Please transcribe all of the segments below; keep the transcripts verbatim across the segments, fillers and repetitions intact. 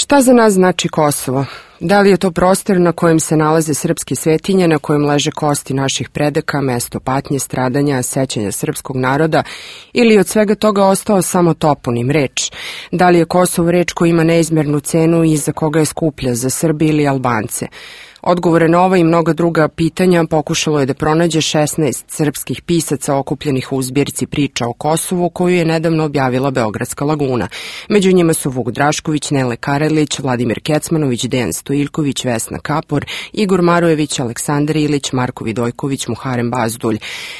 Šta za nas znači Kosovo? Da li je to prostor na kojem se nalaze srpske svetinje, na kojem leže kosti naših predaka, mesto patnje, stradanja, sećanja srpskog naroda, ili od svega toga ostao samo toponim, reč? Da li je Kosovo reč koja ima neizmjernu cenu i za koga je skuplja, za Srbi ili Albance? Odgovore na ova i mnoga druga pitanja pokušalo je da pronađe šesnaest srpskih pisaca okupljenih u zbirci priča o Kosovu koju je nedavno objavila Beogradska laguna. Među njima su Vuk Drašković, Nele Karelić, Vladimir Kecmanović, Dejan Stojiljković, Vesna Kapor, Igor Marojević, Aleksandar Ilić, Marko Vidojković, Muharem Bazdulj.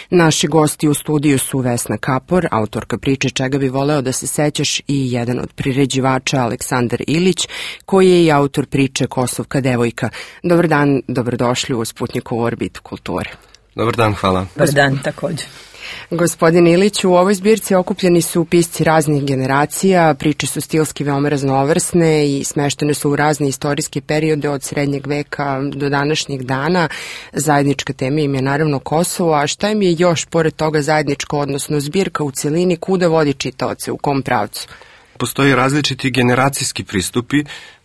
Naši gosti u studiju su Vesna Kapor, autorka priče Čega bi voleo da se sećaš, i jedan od priređivača Aleksandar Ilić, koji je i autor priče Kosovka devojka. Dobar dan, dobrodošli u Sputnjikovu orbitu kulture. Dobar dan, hvala. Dobar dan, također. Gospodin Ilić, u ovoj zbirci okupljeni su pisci raznih generacija, priče su stilski veoma raznovrsne i smeštene su u razne istorijske periode od srednjeg veka do današnjeg dana. Zajednička tema im je naravno Kosovo, a šta im je još pored toga zajedničko, odnosno zbirka u celini, kuda vodi čitaoce, u kom pravcu? Postoji različiti generacijski pristupi,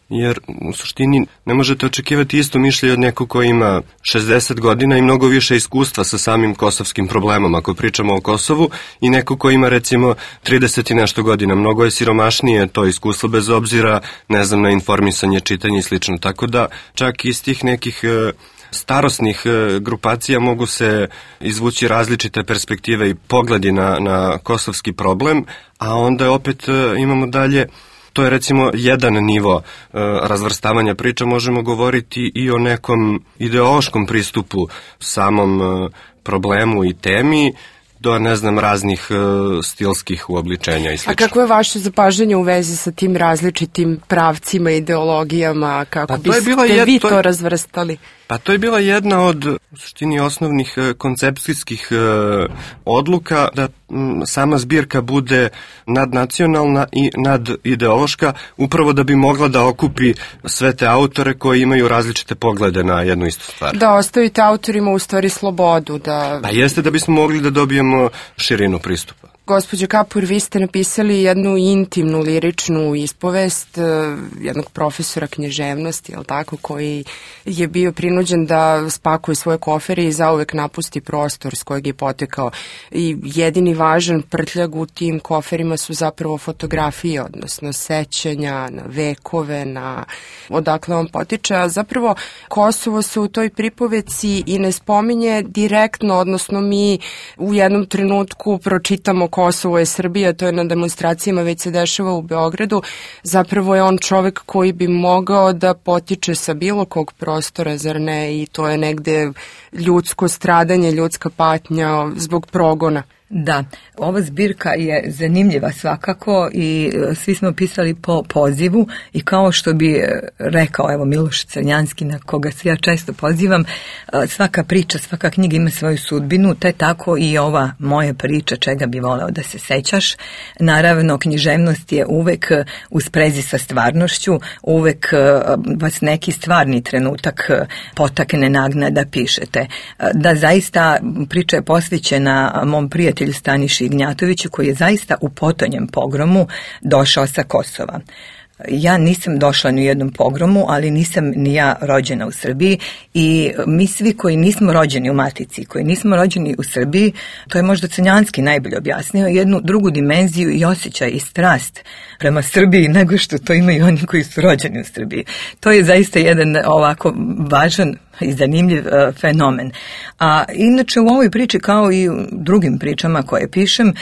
jer u suštini ne možete očekivati isto mišljenje od nekog koji ima šezdeset godina i mnogo više iskustva sa samim kosovskim problemom, ako pričamo o Kosovu, i neko koji ima recimo trideset i nešto godina. Mnogo je siromašnije to iskustvo bez obzira, ne znam, na informisanje, čitanje i slično. Tako da čak iz tih nekih e, starosnih e, grupacija mogu se izvući različite perspektive i pogledi na, na kosovski problem, a onda opet e, imamo dalje. To je recimo jedan nivo e, razvrstavanja priča, možemo govoriti i o nekom ideološkom pristupu samom e, problemu i temi, do, ne znam, raznih e, stilskih uobličenja i sl. A kako je vaše zapažanje u vezi sa tim različitim pravcima, ideologijama, kako pa biste jedna, vi to, to razvrstali? Pa to je bila jedna od, u suštini, osnovnih e, koncepcijskih e, odluka, da m, sama zbirka bude nadnacionalna i nadideološka, upravo da bi mogla da okupi sve te autore koji imaju različite poglede na jednu istu stvar. Da ostavite autorima u stvari slobodu. Da... Pa jeste, da bismo mogli da dobijemo širinu pristupa. Gospođo Kapur, vi ste napisali jednu intimnu, liričnu ispovest jednog profesora književnosti, je li tako, koji je bio prinuđen da spakuje svoje kofere i zauvek napusti prostor s kojeg je potekao. I jedini važan prtljag u tim koferima su zapravo fotografije, odnosno sećanja na vekove, na odakle on potiče. A zapravo Kosovo se u toj pripoveci i ne spominje direktno, odnosno mi u jednom trenutku pročitamo Kosovo je Srbija, to je na demonstracijama, već se dešava u Beogradu. Zapravo je on čovek koji bi mogao da potiče sa bilo kog prostora, zar ne? I to je negde ljudsko stradanje, ljudska patnja zbog progona. Da, ova zbirka je zanimljiva svakako i svi smo pisali po pozivu i kao što bi rekao evo Miloš Crnjanski, na koga se ja često pozivam, svaka priča, svaka knjiga ima svoju sudbinu, te tako i ova moja priča Čega bi voleo da se sećaš. Naravno, književnost je uvek u sprezi sa stvarnošću, uvek vas neki stvarni trenutak potakne, nagna da pišete. Da, zaista priča je posvećena mom prijatelju Staniši Ignjatoviću, koji je zaista u potonjem pogromu došao sa Kosova. Ja nisam došla ni u jednom pogromu, ali nisam ni ja rođena u Srbiji i mi svi koji nismo rođeni u Matici, koji nismo rođeni u Srbiji, to je možda Crnjanski najbolje objasnio, jednu drugu dimenziju i osjećaj i strast prema Srbiji nego što to imaju oni koji su rođeni u Srbiji. To je zaista jedan ovako važan i zanimljiv uh, fenomen. A inače u ovoj priči, kao i u drugim pričama koje pišem, uh,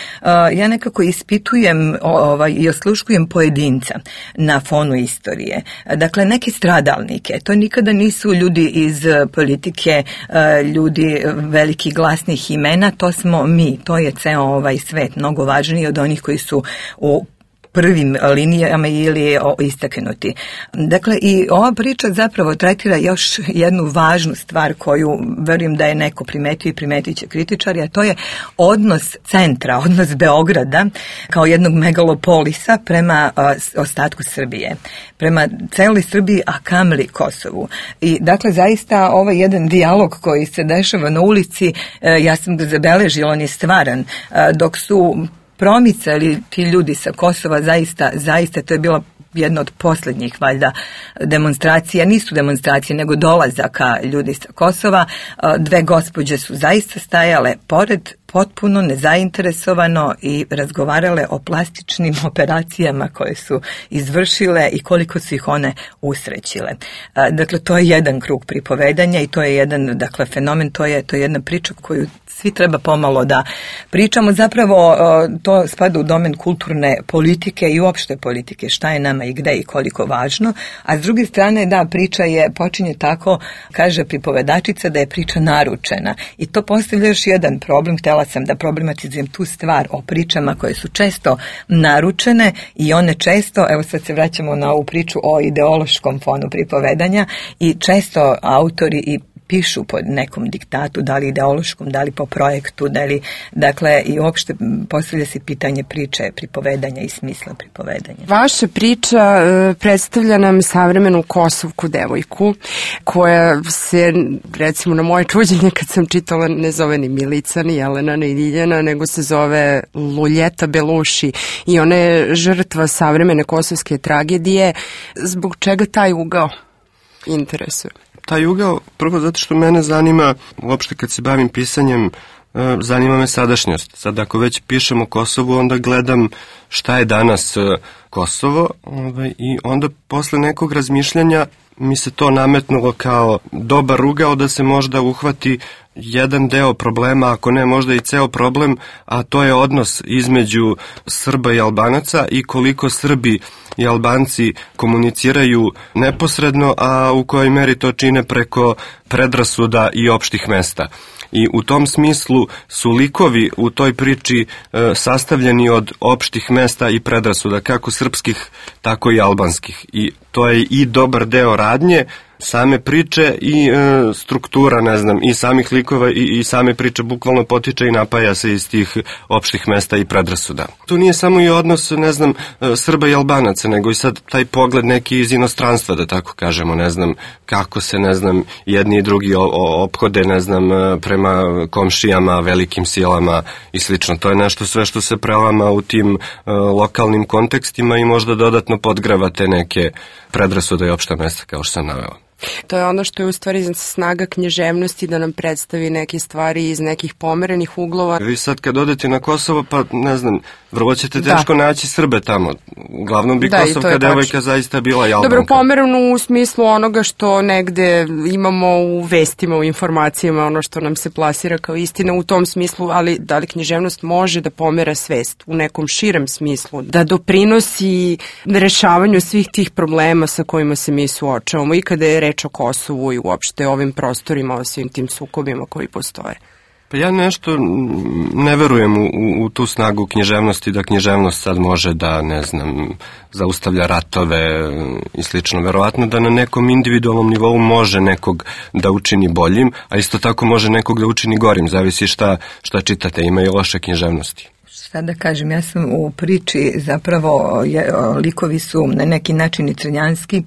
ja nekako ispitujem ovaj, i osluškujem pojedinca na fonu istorije. Dakle, neke stradalnike. To nikada nisu ljudi iz politike, uh, ljudi velikih glasnih imena, to smo mi. To je ceo ovaj svet, mnogo važniji od onih koji su u prvim linijama ili istaknuti. Dakle, i ova priča zapravo tretira još jednu važnu stvar koju verujem da je neko primetio i primetit će kritičari, a to je odnos centra, odnos Beograda kao jednog megalopolisa prema ostatku Srbije, prema celoj Srbiji, a kamoli Kosovu. I dakle, zaista ovaj jedan dijalog koji se dešava na ulici, ja sam ga zabeležila, on je stvaran, dok su promicali ti ljudi sa Kosova, zaista, zaista to je bila jedna od posljednjih valjda demonstracija, nisu demonstracije nego dolazaka ljudi sa Kosova. Dve gospođe su zaista stajale pored, potpuno nezainteresovano i razgovarale o plastičnim operacijama koje su izvršile i koliko su ih one usrećile. Dakle, to je jedan krug pripovedanja i to je jedan, dakle, fenomen, to je, to je jedna priča koju svi treba pomalo da pričamo. Zapravo to spada u domen kulturne politike i uopšte politike, šta je nama i gde i koliko važno. A s druge strane, da, priča je, počinje tako, kaže pripovedačica, da je priča naručena. I to postavlja još jedan problem. Htela sam da problematizujem tu stvar o pričama koje su često naručene i one često, evo sad se vraćamo na ovu priču o ideološkom fonu pripovedanja, i često autori i pišu po nekom diktatu, da li ideološkom, da li po projektu, da li, dakle, i uopšte postavlja se pitanje priče, pripovedanja i smisla pripovedanja. Vaša priča e, predstavlja nam savremenu kosovku devojku, koja se, recimo, na moje čuđenje kad sam čitala, ne zove ni Milica, ni Jelena, ni Ljiljana, nego se zove Luljeta Beluši, i ona je žrtva savremene kosovske tragedije. Zbog čega taj ugao interesuje? Taj ugao, prvo zato što mene zanima, uopšte kad se bavim pisanjem, zanima me sadašnjost. Sad ako već pišem o Kosovu, onda gledam šta je danas Kosovo, i onda posle nekog razmišljanja mi se to nametnulo kao dobar ugao da se možda uhvati jedan deo problema, ako ne možda i ceo problem, a to je odnos između Srba i Albanaca i koliko Srbi i Albanci komuniciraju neposredno, a u kojoj meri to čine preko predrasuda i opštih mesta. I u tom smislu su likovi u toj priči e, sastavljeni od opštih mesta i predrasuda, kako srpskih, tako i albanskih. I to je i dobar deo radnje, same priče i e, struktura, ne znam, i samih likova i, i same priče bukvalno potiče i napaja se iz tih opštih mesta i predrasuda. Tu nije samo i odnos, ne znam, Srba i Albanaca, nego i sad taj pogled neki iz inostranstva, da tako kažemo, ne znam, kako se, ne znam, jedni i drugi ophode, ne znam, prema komšijama, velikim silama i slično. To je nešto sve što se prelama u tim uh, lokalnim kontekstima i možda dodatno podgrava te neke predrasude i opšta mesta, kao što sam naveo. To je ono što je u stvari snaga književnosti, da nam predstavi neke stvari iz nekih pomerenih uglova. Vi sad kad odete na Kosovo, pa ne znam, vrlo ćete teško da. naći Srbe tamo. Uglavnom bi da, kosovka devojka zaista bila i Albanka. Dobro, pomerenu u smislu onoga što negde imamo u vestima, u informacijama, ono što nam se plasira kao istina u tom smislu, ali da li književnost može da pomera svest u nekom širem smislu, da doprinosi rešavanju svih tih problema sa kojima se mi suočavamo, i kada je reč o Kosovu i uopšte ovim prostorima, o svim tim sukobima koji postoje? Pa ja nešto ne verujem u, u, u tu snagu književnosti, da književnost sad može da, ne znam, zaustavlja ratove i slično. Verovatno da na nekom individualnom nivou može nekog da učini boljim, a isto tako može nekog da učini gorim, zavisi šta, šta čitate, ima i loše književnosti. Šta da kažem, ja sam u priči zapravo, je, likovi su na neki način i crnjanski,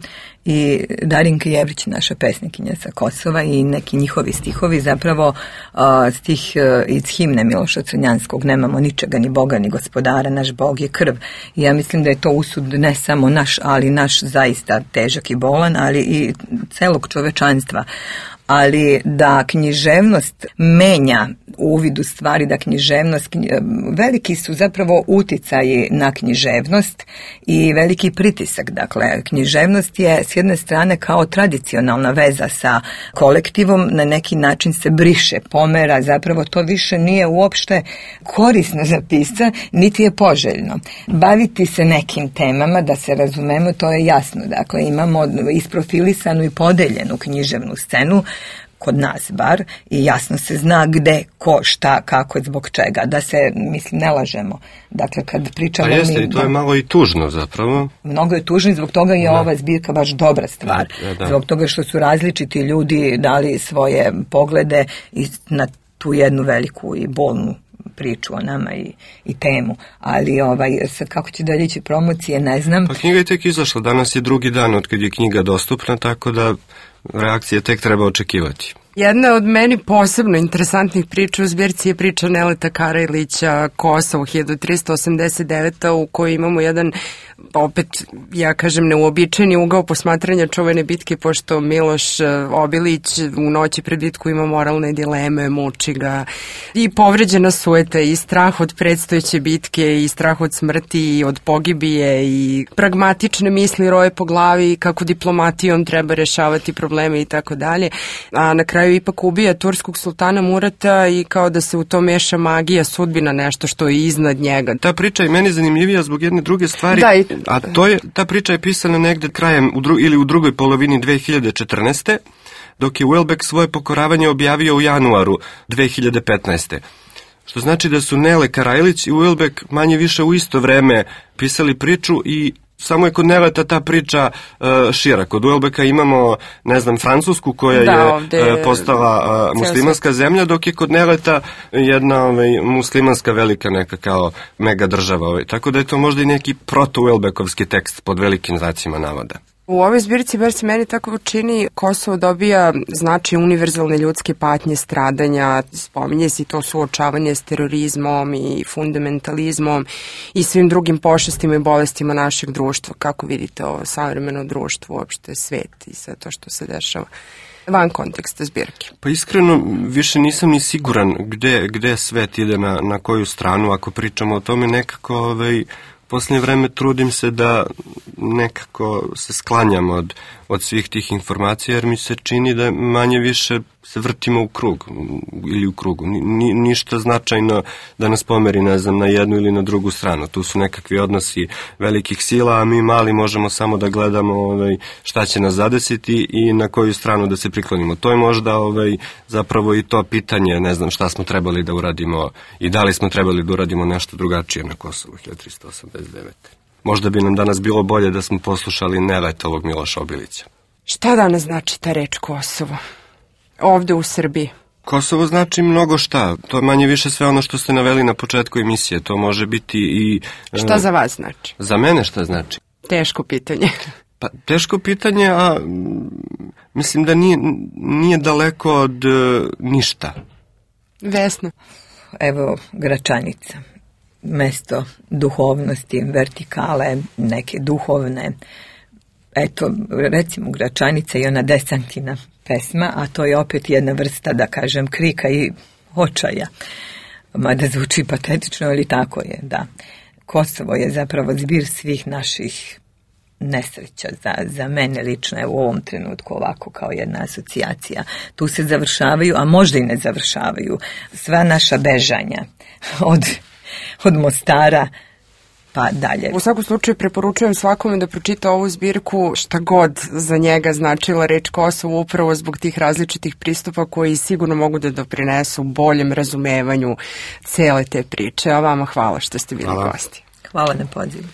i Darinka Jevrić, naša pesnikinja sa Kosova, i neki njihovi stihovi, zapravo uh, stih uh, iz himne Miloša Crnjanskog, nemamo ničega, ni Boga, ni gospodara, naš Bog je krv. I ja mislim da je to usud ne samo naš, ali naš zaista težak i bolan, ali i celog čovečanstva. Ali da književnost menja uvid u stvari, da književnost, veliki su zapravo uticaji na književnost i veliki pritisak. Dakle, književnost je s jedne strane kao tradicionalna veza sa kolektivom, na neki način se briše, pomera, zapravo to više nije uopšte korisno za pisca, niti je poželjno. Baviti se nekim temama, da se razumemo, to je jasno. Dakle, imamo isprofilisanu i podeljenu književnu scenu, kod nas bar, i jasno se zna gde, ko, šta, kako, zbog čega, da se, mislim, ne lažemo. Dakle, kad pričamo... Pa jeste, mi, i to je malo i tužno zapravo. Mnogo je tužno i zbog toga je da. ova zbirka baš dobra stvar. Da, da. Zbog toga što su različiti ljudi dali svoje poglede i na tu jednu veliku i bolnu priču o nama i, i temu, ali ovaj, sad kako će dalje ići promocije, ne znam. Pa knjiga je tek izašla, danas je drugi dan od kad je knjiga dostupna, tako da reakcije tek treba očekivati. Jedna od meni posebno interesantnih priča u zbirci je priča Neleta Karajlića Kosovo hiljadu trista osamdeset devete. u kojoj imamo jedan, opet ja kažem, neuobičajeni ugao posmatranja čuvene bitke, pošto Miloš Obilić u noći pred bitku ima moralne dileme, muči ga i povređena sueta i strah od predstojeće bitke i strah od smrti i od pogibije i pragmatične misli roje po glavi kako diplomatijom treba rešavati probleme i tako dalje. A na kraju ipak ubija turskog sultana Murata i kao da se u to meša magija, sudbina, nešto što je iznad njega. Ta priča je meni zanimljivija zbog jedne druge stvari, da, i... a to je, ta priča je pisana negde krajem u dru, ili u drugoj polovini dve hiljade četrnaeste. dok je Welbeck svoje pokoravanje objavio u januaru dve hiljade petnaeste. Što znači da su Nele Karajlić i Welbeck manje više u isto vreme pisali priču i samo je kod Neleta ta priča uh, šira. Kod Welbecka imamo, ne znam, Francusku koja da, je ovde, postala uh, muslimanska zemlja, dok je kod Neleta jedna ovaj, muslimanska velika neka kao mega država. Ovaj. Tako da je to možda i neki proto-Welbeckovski tekst pod velikim znacima navoda. U ovoj zbirci, bar se meni tako čini, Kosovo dobija znači univerzalne ljudske patnje, stradanja, spominje se to suočavanje s terorizmom i fundamentalizmom i svim drugim pošastima i bolestima našeg društva. Kako vidite ovo savremeno društvo, uopšte svet i sve to što se dešava van konteksta zbirke? Pa iskreno, više nisam ni siguran gde, gde svet ide na, na koju stranu. Ako pričamo o tome, nekako ovaj, posljednje vreme trudim se da nekako se sklanjam od, od svih tih informacija, jer mi se čini da manje više se vrtimo u krug ili u krugu. Ni, ništa značajno da nas pomeri, ne znam, na jednu ili na drugu stranu. Tu su nekakvi odnosi velikih sila, a mi mali možemo samo da gledamo ovaj, šta će nas zadesiti i na koju stranu da se priklonimo. To je možda ovaj, zapravo i to pitanje, ne znam šta smo trebali da uradimo i da li smo trebali da uradimo nešto drugačije na Kosovu hiljadu trista osamdeset devete. Možda bi nam danas bilo bolje da smo poslušali Neletovog Miloša Obilića. Šta danas znači ta reč Kosovo? Ovde u Srbiji. Kosovo znači mnogo šta. To je manje više sve ono što ste naveli na početku emisije. To može biti i... Šta za vas znači? Za mene šta znači? Teško pitanje. Pa teško pitanje, a mislim da nije, nije daleko od uh, ništa. Vesna. Evo, Gračanica. Mesto duhovnosti, vertikale, neke duhovne. Eto, recimo Gračanica i ona Desantina pesma, a to je opet jedna vrsta, da kažem, krika i očaja. Mada zvuči patetično, ali tako je, da. Kosovo je zapravo zbir svih naših nesreća za, za mene lično, evo u ovom trenutku ovako kao jedna asocijacija. Tu se završavaju, a možda i ne završavaju, sva naša bežanja od, od Mostara pa dalje. U svakom slučaju preporučujem svakome da pročita ovu zbirku, šta god za njega značila reč Kosovo, upravo zbog tih različitih pristupa koji sigurno mogu da doprinesu boljem razumevanju cele te priče. A vama hvala što ste bili gosti. Hvala na pozivu.